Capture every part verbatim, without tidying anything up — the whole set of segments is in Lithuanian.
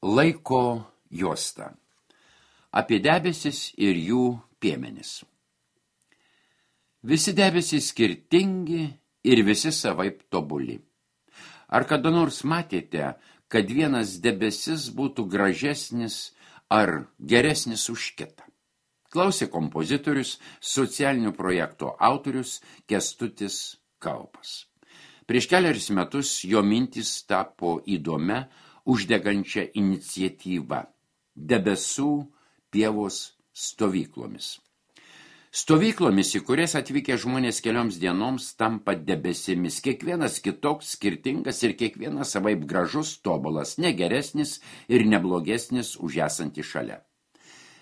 Laiko juosta. Apie debesis ir jų piemenis. Visi debesys skirtingi ir visi savaip tobuli. Ar kada nors matėte, kad vienas debesis būtų gražesnis ar geresnis už kitą? Klausė kompozitorius, socialinių projektų autorius Kęstutis Kaupas. Prieš keliarius metus jo mintis tapo įdomia, uždegančią iniciatyvą – debesų pievos stovyklomis. Stovyklomis, į kurias atvykę žmonės kelioms dienoms, tampa debesimis. Kiekvienas kitoks, skirtingas ir kiekvienas savaip gražus, tobulas, negeresnis ir neblogesnis už esantį šalia.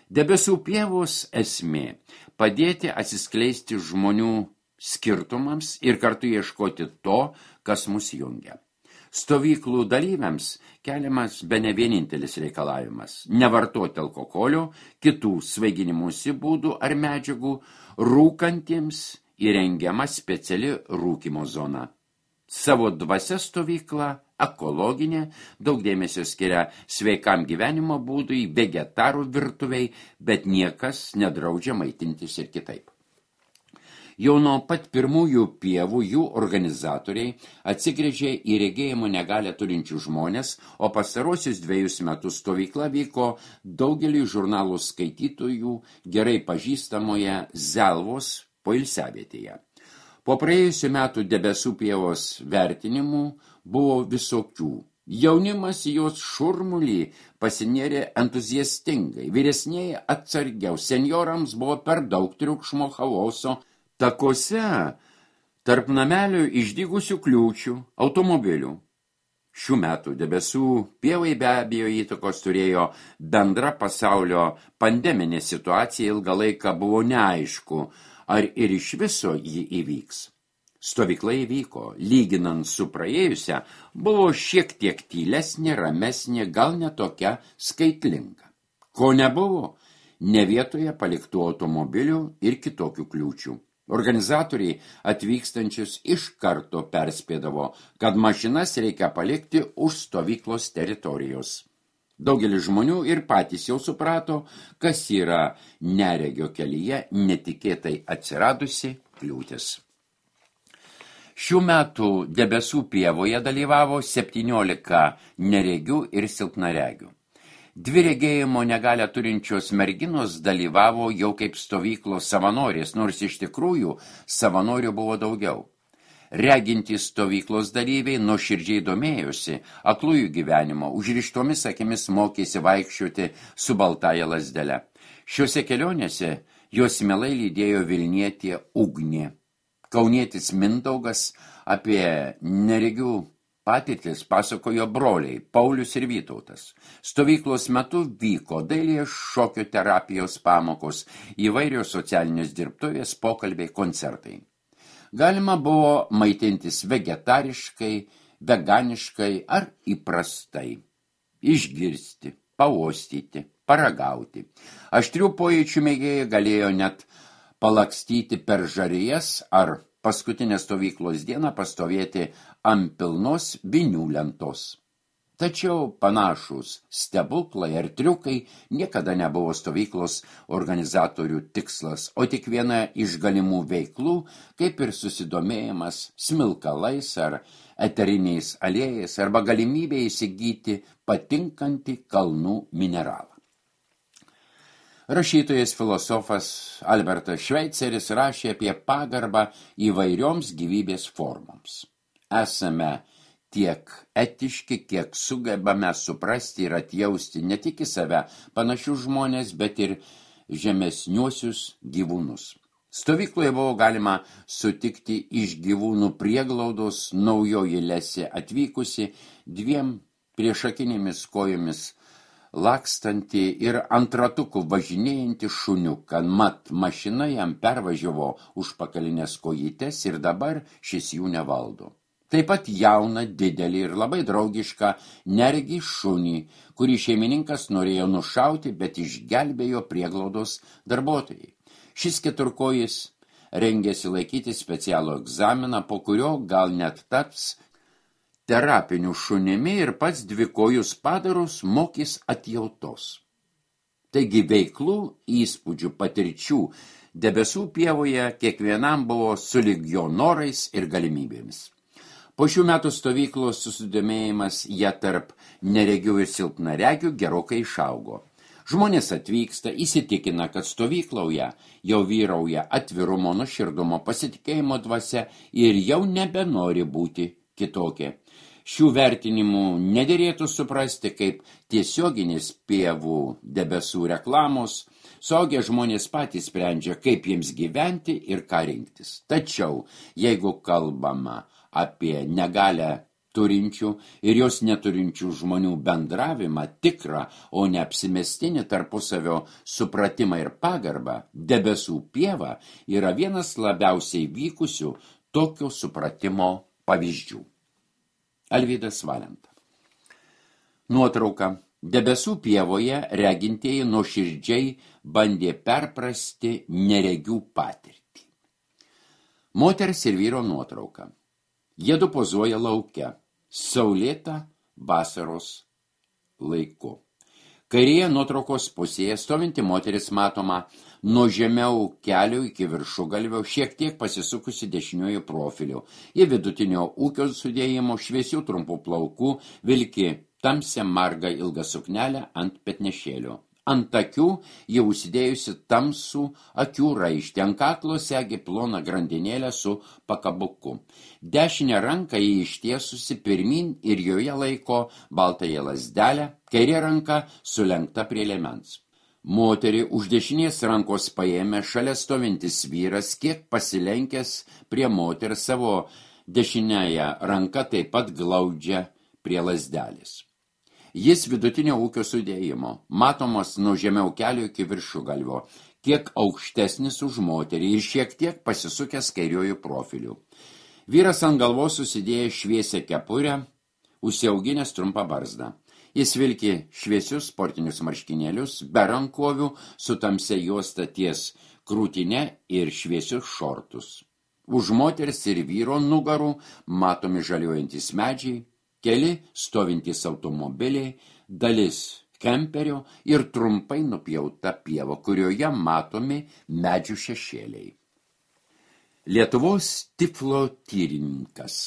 Debesų pievos esmė – padėti atsiskleisti žmonių skirtumams ir kartu ieškoti to, kas mus jungia. Stovyklų dalyviams keliamas bene vienintelis reikalavimas – nevartoti alkoholio, kitų svaiginimosi būdų ar medžiagų, rūkantiems įrengiama speciali rūkymo zona. Savo dvasia stovykla, ekologinė, daug dėmesio skiria sveikam gyvenimo būdui, vegetarų virtuviai, bet niekas nedraudžia maitintis ir kitaip. Jau nuo pat pirmųjų pievų jų organizatoriai atsigręžė į regėjimo negalią turinčių žmonės, o pastarosius dviejus metus stovykla vyko daugelį žurnalų skaitytojų gerai pažįstamoje Zelvos poilsiavietėje. Po praėjusių metų debesų pievos vertinimų buvo visokių. Jaunimas jos šurmulį pasinėrė entuziastingai, vyresnieji atsargiau, senjorams buvo per daug triukšmo, chaoso. Takuose tarp namelių išdygusių kliūčių, automobilių. Šių metų debesų pievai be abejo įtakos turėjo bendra pasaulio pandeminė situacija, ilgą laiką buvo neaišku, ar ir iš viso ji įvyks. Stovykla įvyko, lyginant su praėjusia, buvo šiek tiek tylesnė, ramesnė, gal netokia skaitlinga. Ko nebuvo? Ne vietoje paliktų automobilių ir kitokių kliūčių. Organizatoriai atvykstančius iš karto perspėdavo, kad mašinas reikia palikti už stovyklos teritorijos. Daugelis žmonių ir patys jau suprato, kas yra neregio kelyje netikėtai atsiradusi kliūtis. Šių metų debesų pievoje dalyvavo septyniolika neregių ir silpnaregių. Dvi regėjimo negalią turinčios merginos dalyvavo jau kaip stovyklos savanorės, nors iš tikrųjų savanorių buvo daugiau. Regintys stovyklos dalyviai nuoširdžiai domėjosi aklųjų gyvenimo, užrištomis akimis mokėsi vaikščioti su baltaja lazdele. Šiuose kelionėse jos mielai lydėjo Vilnietė Ugnė. Kaunietis Mindaugas apie neregių patirtis pasakojo broliai Paulius ir Vytautas. Stovyklos metu vyko dailės šokio terapijos pamokos, įvairios socialinės dirbtuvės, pokalbiai, koncertai. Galima buvo maitintis vegetariškai, veganiškai ar įprastai. Išgirsti, pauostyti, paragauti. Aštrių pojūčių mėgėjai galėjo net palakstyti per žarijas ar paskutinę stovyklos dieną pastovėti ant pilnos vinių lentos. Tačiau panašūs stebuklai ar triukai niekada nebuvo stovyklos organizatorių tikslas, o tik viena iš galimų veiklų, kaip ir susidomėjimas smilkalais ar eteriniais aliejais arba galimybė įsigyti patinkantį kalnų mineralą. Rašytojas filosofas Albertas Šveiceris rašė apie pagarbą įvairioms gyvybės formoms. Esame tiek etiški, kiek sugebame suprasti ir atjausti ne tik į save panašius žmonės, bet ir žemesniuosius gyvūnus. Stovykloje buvo galima sutikti iš gyvūnų prieglaudos naujoji Lesė atvykusi dviem priešakinėmis kojomis lakstantį ir ant ratukų važinėjantį šuniuką, mat mašina jam pervažiavo užpakalinės kojytes ir dabar šis jų nevaldo. Taip pat jauną, didelį ir labai draugišką neregį šunį, kurį šeimininkas norėjo nušauti, bet išgelbėjo prieglaudos darbuotojai. Šis keturkojis rengėsi laikyti specialų egzaminą, po kurio gal net taps terapiniu šunimi ir pats dvikojus padarus mokys atjautos. Taigi veiklų, įspūdžių, patirčių debesų pievoje kiekvienam buvo sulig jo norais ir galimybėmis. Po šių metų stovyklos susidomėjimas ją tarp neregių ir silpnaregių gerokai išaugo. Žmonės atvyksta, įsitikina, kad stovykloje jau vyrauja atvirumo, nuoširdumo, pasitikėjimo dvasia ir jau nebenori būti kitokie. Šių vertinimų nederėtų suprasti kaip tiesioginis pievų debesų reklamos. Suaugę žmonės patys sprendžia, kaip jiems gyventi ir ką rinktis. Tačiau, jeigu kalbama apie negalę turinčių ir jos neturinčių žmonių bendravimą tikrą, o ne apsimestinį tarpusavio supratimą ir pagarbą, debesų pieva yra vienas labiausiai vykusių tokio supratimo pavyzdžių. Alvydas Valenta. Nuotrauka. Debesų pievoje regintieji nuoširdžiai bandė perprasti neregių patirtį. Moters ir vyro nuotrauka. Jiedu pozuoja lauke, saulėta vasaros laiku. Kairėje nuotraukos pusėje stovinti moteris matoma nuo žemiau kelio iki viršugalvio, šiek tiek pasisukusi dešiniuoju profiliu. Į vidutinio ūkio sudėjimo, šviesių trumpų plaukų, vilki tamsią margą ilgą suknelę ant petnešėlio. Ant akių jau užsidėjusi tamsų akių raištį, ant kaklo segi ploną grandinėlę su pakabuku. Dešinę ranką jį ištiesusi pirmin ir joje laiko baltąją lazdelę, kairė ranka sulenkta prie liemens. Moterį už dešinės rankos paėmė šalia stovintis vyras, kiek pasilenkęs prie moters, savo dešinėje ranka taip pat glaudžia prie lazdelės. Jis vidutinio ūkio sudėjimo, matomas nuo žemiau kelio iki viršugalvio, kiek aukštesnis už moterį ir šiek tiek pasisukęs kairiuoju profiliu. Vyras ant galvos susidėjo šviesią kepurę, užsiauginęs trumpą barzdą. Jis vilki šviesius sportinius marškinėlius, be rankovių, su tamsia juosta ties krūtine ir šviesius šortus. Už moters ir vyro nugarų matomi žaliuojantys medžiai, keli stovintys automobiliai, dalis kemperio ir trumpai nupjauta pieva, kurioje matomi medžių šešėliai. Lietuvos tiflotyrininkas.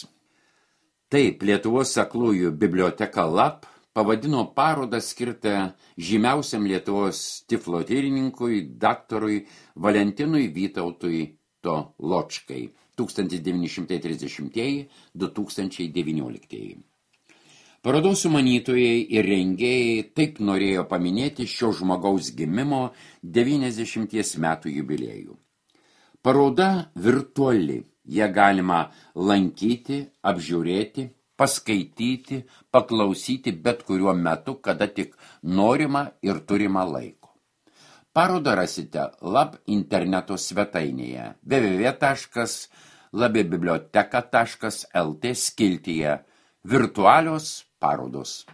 Taip, Lietuvos aklųjų biblioteka Lap pavadino parodą skirtą žymiausiam Lietuvos tiflotyrininkui daktarui Valentinui Vytautui Toločkai tūkstantis devyni šimtai trisdešimtieji - du tūkstančiai devynioliktieji. Parodos sumanytojai ir rengėjai taip norėjo paminėti šio žmogaus gimimo devyniasdešimties metų jubiliejų. Paroda virtuali, ją galima lankyti, apžiūrėti, paskaityti, paklausyti bet kuriuo metu, kada tik norima ir turima laiko. Parodą rasite Lab interneto svetainėje w w w taškas labibiblioteka taškas l t skiltyje virtualios parodos.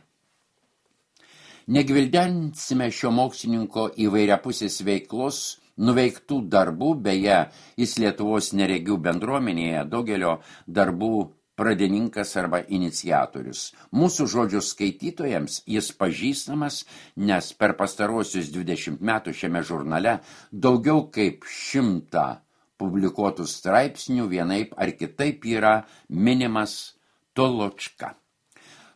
Negvildensime šio mokslininko įvairiapusės veiklos, nuveiktų darbų, beje, jis Lietuvos neregių bendruomenėje daugelio darbų pradininkas arba iniciatorius. Mūsų žodžių skaitytojams jis pažįstamas, nes per pastaruosius dvidešimt metų šiame žurnale daugiau kaip šimtą publikuotų straipsnių vienaip ar kitaip yra minimas Toločka.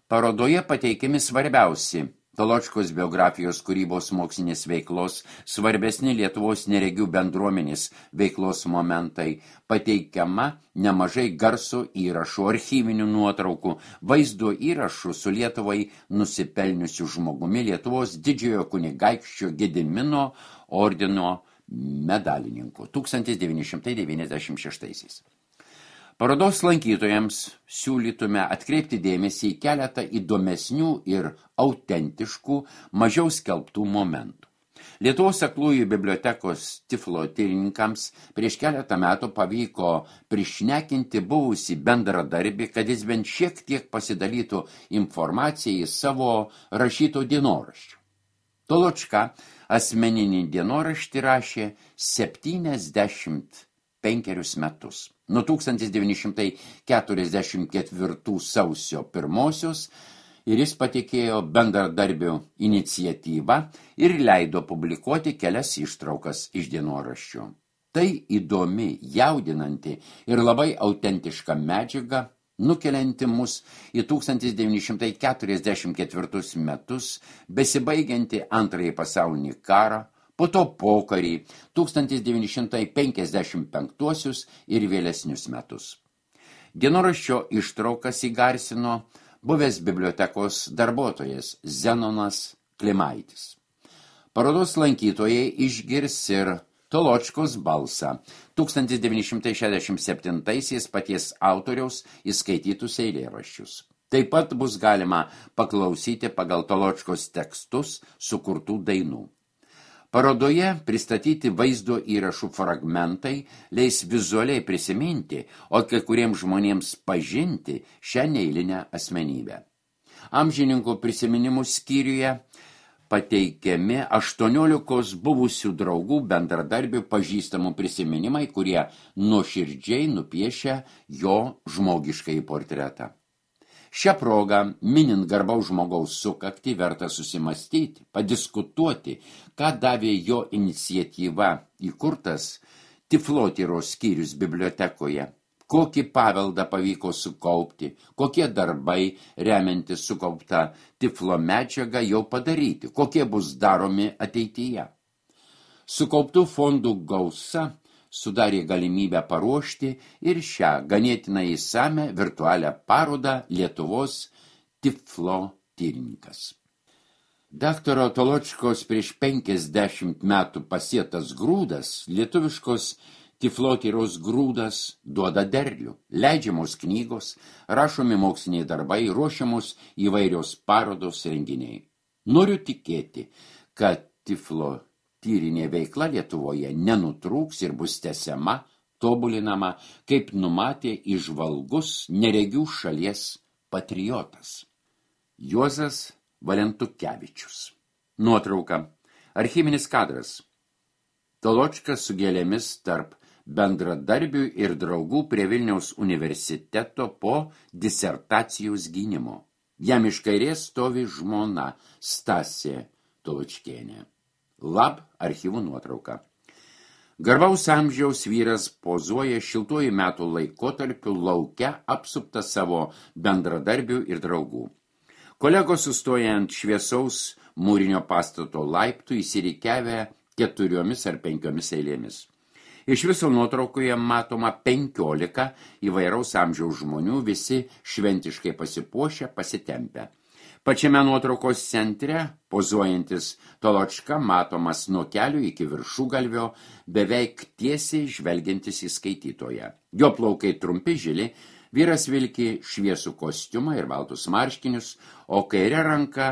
Parodoje pateikiami svarbiausi Toločkos biografijos kūrybos mokslinės veiklos, svarbesni Lietuvos neregių bendruomenės veiklos momentai, pateikiama nemažai garso įrašų, archyvinių nuotraukų, vaizdo įrašų su Lietuvai nusipelniusiu žmogumi, Lietuvos didžiojo kunigaikščio Gedimino ordino medalininku tūkstantis devyni šimtai devyniasdešimt šeštaisiais. Parodos lankytojams siūlytume atkreipti dėmesį į keletą įdomesnių ir autentiškų, mažiau skelbtų momentų. Lietuvos aklųjų bibliotekos tiflotyrininkams prieš keletą metų pavyko prišnekinti buvusį bendradarbį, kad jis bent šiek tiek pasidalytų informaciją į savo rašyto dienoraščių. Toločka asmeninį dienoraštį rašė septyniasdešimt penkerius metus. nuo tūkstantis devyni šimtai keturiasdešimt ketvirtų sausio pirmosios ir jis patikėjo bendradarbių iniciatyvą ir leido publikuoti kelias ištraukas iš dienoraščių. Tai įdomi, jaudinanti ir labai autentiška medžiaga, nukelianti mus į tūkstantis devyni šimtai keturiasdešimt ketvirtus metus, besibaigianti antrąjį pasaulinį karą, po to pokarį, tūkstantis devyni šimtai penkiasdešimt penktuosius ir vėlesnius metus. Dienoraščio ištraukas įgarsino buvęs bibliotekos darbuotojas Zenonas Klimaitis. Parodos lankytojai išgirs ir Toločkos balsą, tūkstantis devyni šimtai šešiasdešimt septintaisiais paties autoriaus įskaitytus eilėraščius. Taip pat bus galima paklausyti pagal Toločkos tekstus sukurtų dainų. Parodoje pristatyti vaizdo įrašų fragmentai leis vizualiai prisiminti, o kai kuriems žmonėms pažinti šią neeilinę asmenybę. Amžininkų prisiminimų skyriuje pateikiami aštuoniolikos buvusių draugų bendradarbių pažįstamų prisiminimai, kurie nuoširdžiai nupiešia jo žmogiškąjį portretą. Šią progą, minint garbaus žmogaus sukaktį, verta susimastyti, padiskutuoti, ką davė jo iniciatyva įkurtas Tiflotyros skyrius bibliotekoje, kokį paveldą pavyko sukaupti, kokie darbai, remiantis sukauptą Tiflo medžiagą, jau padaryti, kokie bus daromi ateityje. Sukauptų fondų gausa sudarė galimybę paruošti ir šią ganėtinai įsamią virtualią parodą Lietuvos Tiflotyrininkas. Daktaro Toločkos prieš penkiasdešimt metų pasėtas grūdas, lietuviškos Tiflotyros grūdas, duoda derlių, leidžiamos knygos, rašomi moksliniai darbai, ruošiamos įvairios parodos renginiai. Noriu tikėti, kad tiflotyrinė veikla Lietuvoje nenutrūks ir bus tęsiama, tobulinama, kaip numatė įžvalgus neregių šalies patriotas. Juozas Valentukevičius. Nuotrauka. Archyvinis kadras. Toločkas su gėlėmis tarp bendradarbių ir draugų prie Vilniaus universiteto po disertacijos gynimo. Jam iš kairės stovi žmona Stasė Toločkienė. Lab archyvų nuotrauka. Garbaus amžiaus vyras pozuoja šiltuoju metų laikotarpiu lauke apsuptas savo bendradarbių ir draugų. Kolegos sustoja ant šviesaus mūrinio pastato laiptų įsirikiavę keturiomis ar penkiomis eilėmis. Iš viso nuotraukoje matoma penkiolika įvairaus amžiaus žmonių, visi šventiškai pasipuošę, pasitempę. Pačiame nuotraukos centre, pozuojantis Toločka, matomas nuo kelių iki viršugalvio, beveik tiesiai žvelgiantis į skaitytoją. Jo plaukai trumpi žili, vyras vilki šviesų kostiumą ir baltus marškinius, o kairė ranka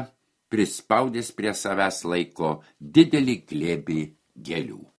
prispaudęs prie savęs laiko didelį glėbį gėlių.